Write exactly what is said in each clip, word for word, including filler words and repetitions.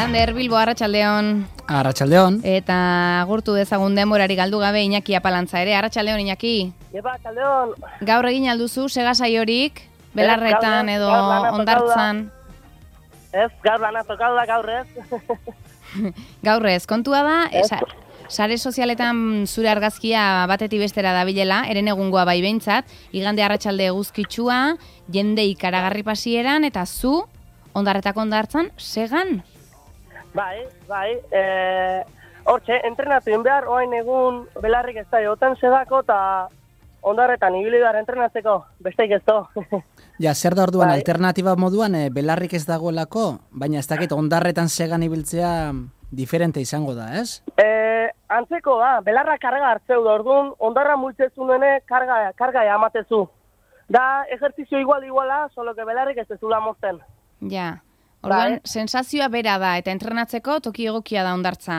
Lander, Bilbo, Arratsaldeon. Arratsaldeon. Eta agurtu dezagun denborari galdu gabe Iñaki Apalantza ere. Arratsaldeon, Iñaki. Epa, Arratsaldeon. Gaur egin alduzu sega saiorik, belarretan edo hondartzan. Ez, gaur lana tokatu da gaur ez. Gaur ez, kontua da, esa, sare sozialetan zure argazkia batetik bestera dabilela, eren egungoa bai behintzat, igande arratsalde eguzkitsua, jende ikaragarri pasieran, eta zu, ondarretako ondartzan, segan? Bai, bai, e, hortxe, entrenatu behar, oain egun belarrik ez da, oten segako eta ondarretan ibili behar entrenatzeko, besteik ez do. Ja, zer da orduan, bai. Alternatiba moduan, e, belarrik ez dagoelako, baina ez dakit ondarretan segan ibiltzea diferente izango da, ez? E, antzeko da, belarra karga hartzeu da, orduan, ondarra multzezunen karga, karga amatezu. Da, ejertzizio igual-iguala, solo que belarrik ez ezula mozten. Ja, orduan, bai. Sensazioa bera da, eta entrenatzeko toki egokia da ondartza.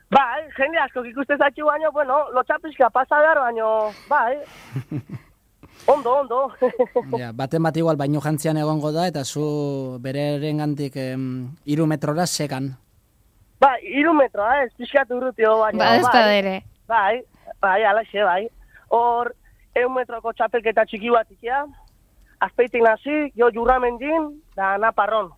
Bai, jende asko ikuste zatxu baino, bueno, lotxapizka pasa behar baino, bai. Ondo, ondo. Ja, baten bat igual baino jantzian egongo da, eta zu bereren gantik em, iru metrora segan. Bai, iru metroa, ez pixkat urrutio baino. Ba, ez bai, ere. Bai, bai, alaxe, bai. Hor, eun metroko txapelketa txiki bat ikia, azpeitik nazi, jo jurramendin, da naparron.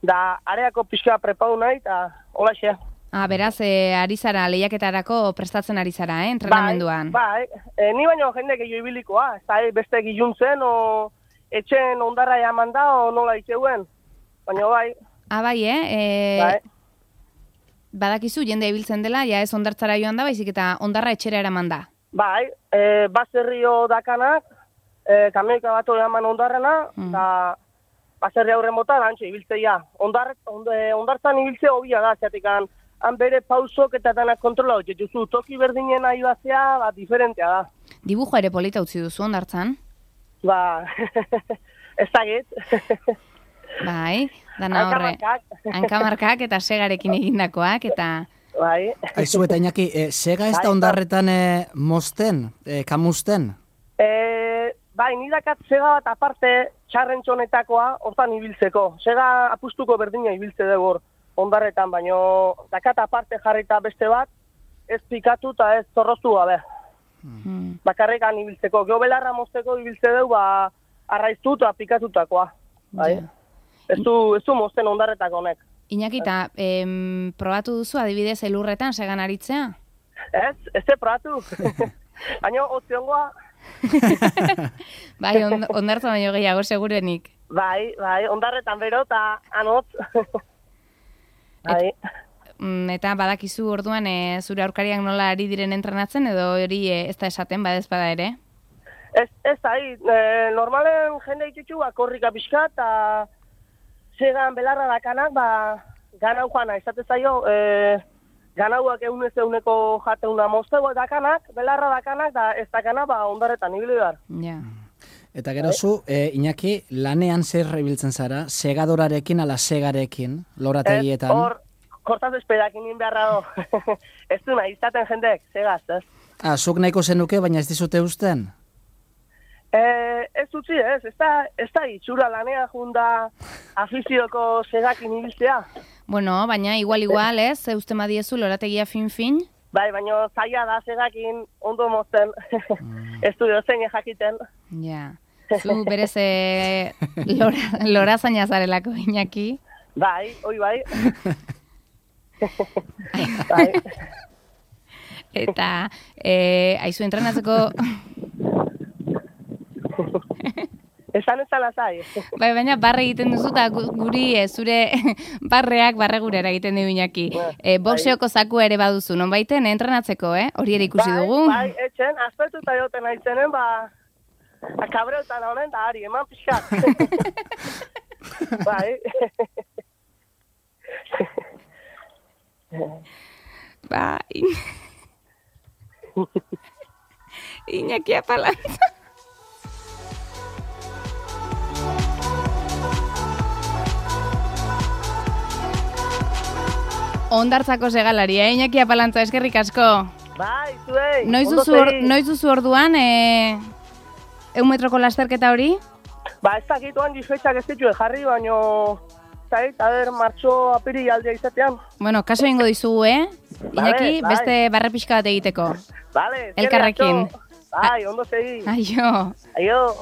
Da, areako pixka prepau nahi, eta holaxe. Ah, beraz, e, ari zara, lehiaketarako prestatzen ari zara, eh, entrenamenduan. Bai, bai. E, ni baino jende gehiago ibilikoa, ez da beste giluntzen, o etxen ondarra jaman da, o nola itxeuen. Baina bai. Ah, bai, eh? E, bai. Badakizu, jende ibiltzen dela, ja ez ondartzara joan da, baizik eta ondarra etxera eraman da. Bai, e, baserrio dakanak, e, kamioika bat jaman ondarrena, eta mm. baserri aurren bota, lantxe ibiltzea. Ondar, ond, ondartzan ibiltzea hobia da, zeatikan, han bere pausok eta danak kontrola hori. Juzu, toki berdinen ahi bazea, ba, diferentea da. Dibujo ere polita utzi duzu ondartzan? Ba, ez dagit. Bai, dana horre. Hankamarkak eta segarekin egindakoak, eta... Bai. Aizu eta Iñaki, e, sega ez da ondarretan e, mozten, e, kamusten? E, bai, nidakat sega bat aparte txarrentxonetakoa hortan ibiltzeko. Sega apustuko berdina ibiltze dugu ondarretan, baino dakat aparte jarrita beste bat, ez pikatu eta ez zorroztu gabe. Hmm. Bakarrekan ibiltzeko. Geo belarra mozteko ibiltze dugu, ba, arraiztu eta pikatutakoa. Bai. Yeah. Ez du, ez du mozten ondarretako honek. Iñaki, eta em, probatu duzu adibidez elurretan segan aritzea? Ez, ez ze probatu. Baina, otziongoa. Bai, on, ondartza baino gehiago segurenik. Bai, bai, ondarretan bero eta anotz. Bai. Et, eta badakizu orduan e, zure aurkariak nola ari diren entrenatzen, edo hori e, ez da esaten, badez bada ere? Ez, ez da, e, normalen jende itxutxu, korrika pixka, eta segan belarra dakanak, ba, ganau joana, izate zaio, e, ganauak eunez euneko jateuna moztego dakanak, belarra dakanak, da ez dakana, ba, ondarretan ibili behar. Ja. Eta gero zu, e, Iñaki, lanean zer ibiltzen zara, segadorarekin ala segarekin, lorategietan? Ez, hor, kortaz espedakin inbeharra do. Ez du nahi, izaten jendek, segaz, ez? Ah, zuk nahiko zenuke, baina ez dizute usten? Eh, ez utzi ez, ez da, ez da itxura lanea junda afizioko segakin ibiltzea. Bueno, baina igual-igual ez, eusten badiezu lorategia fin-fin? Bai, baina zaila da segakin ondo mozten, mm. ez du dozen jakiten. Ja, zu berez e, lora, lora zaina zarelako, Iñaki. Bai, oi bai. Bai. Eta, e, aizu entrenatzeko... Esan ez alazai. Bai, baina barre egiten duzu eta guri e, zure barreak barre gurera egiten du Iñaki. E, boxeoko zakua ere baduzu, non baiten, entrenatzeko, eh? Hori ere ikusi bai, dugu. Bai, etxen, aspertuta joten aitzenen, ba, akabreutan honen da, ari, eman pixkat. Bai. Bai. Iñaki Apalantza. Ondartzako segalaria, eh? Iñaki Apalantza, eskerrik asko. Bai, zuei. Noiz duzu, or, noiz duzu orduan, e, eun metroko lasterketa hori? Ba, ez dakituan difetxak ez dituen jarri, baino zait, a ber, martxo apiri aldea izatean. Bueno, kaso ingo dizugu, eh? Iñaki, Vale, beste barre pixka bat egiteko. Vale, Elkarrekin. Bai, ondo segi. Aio. Aio.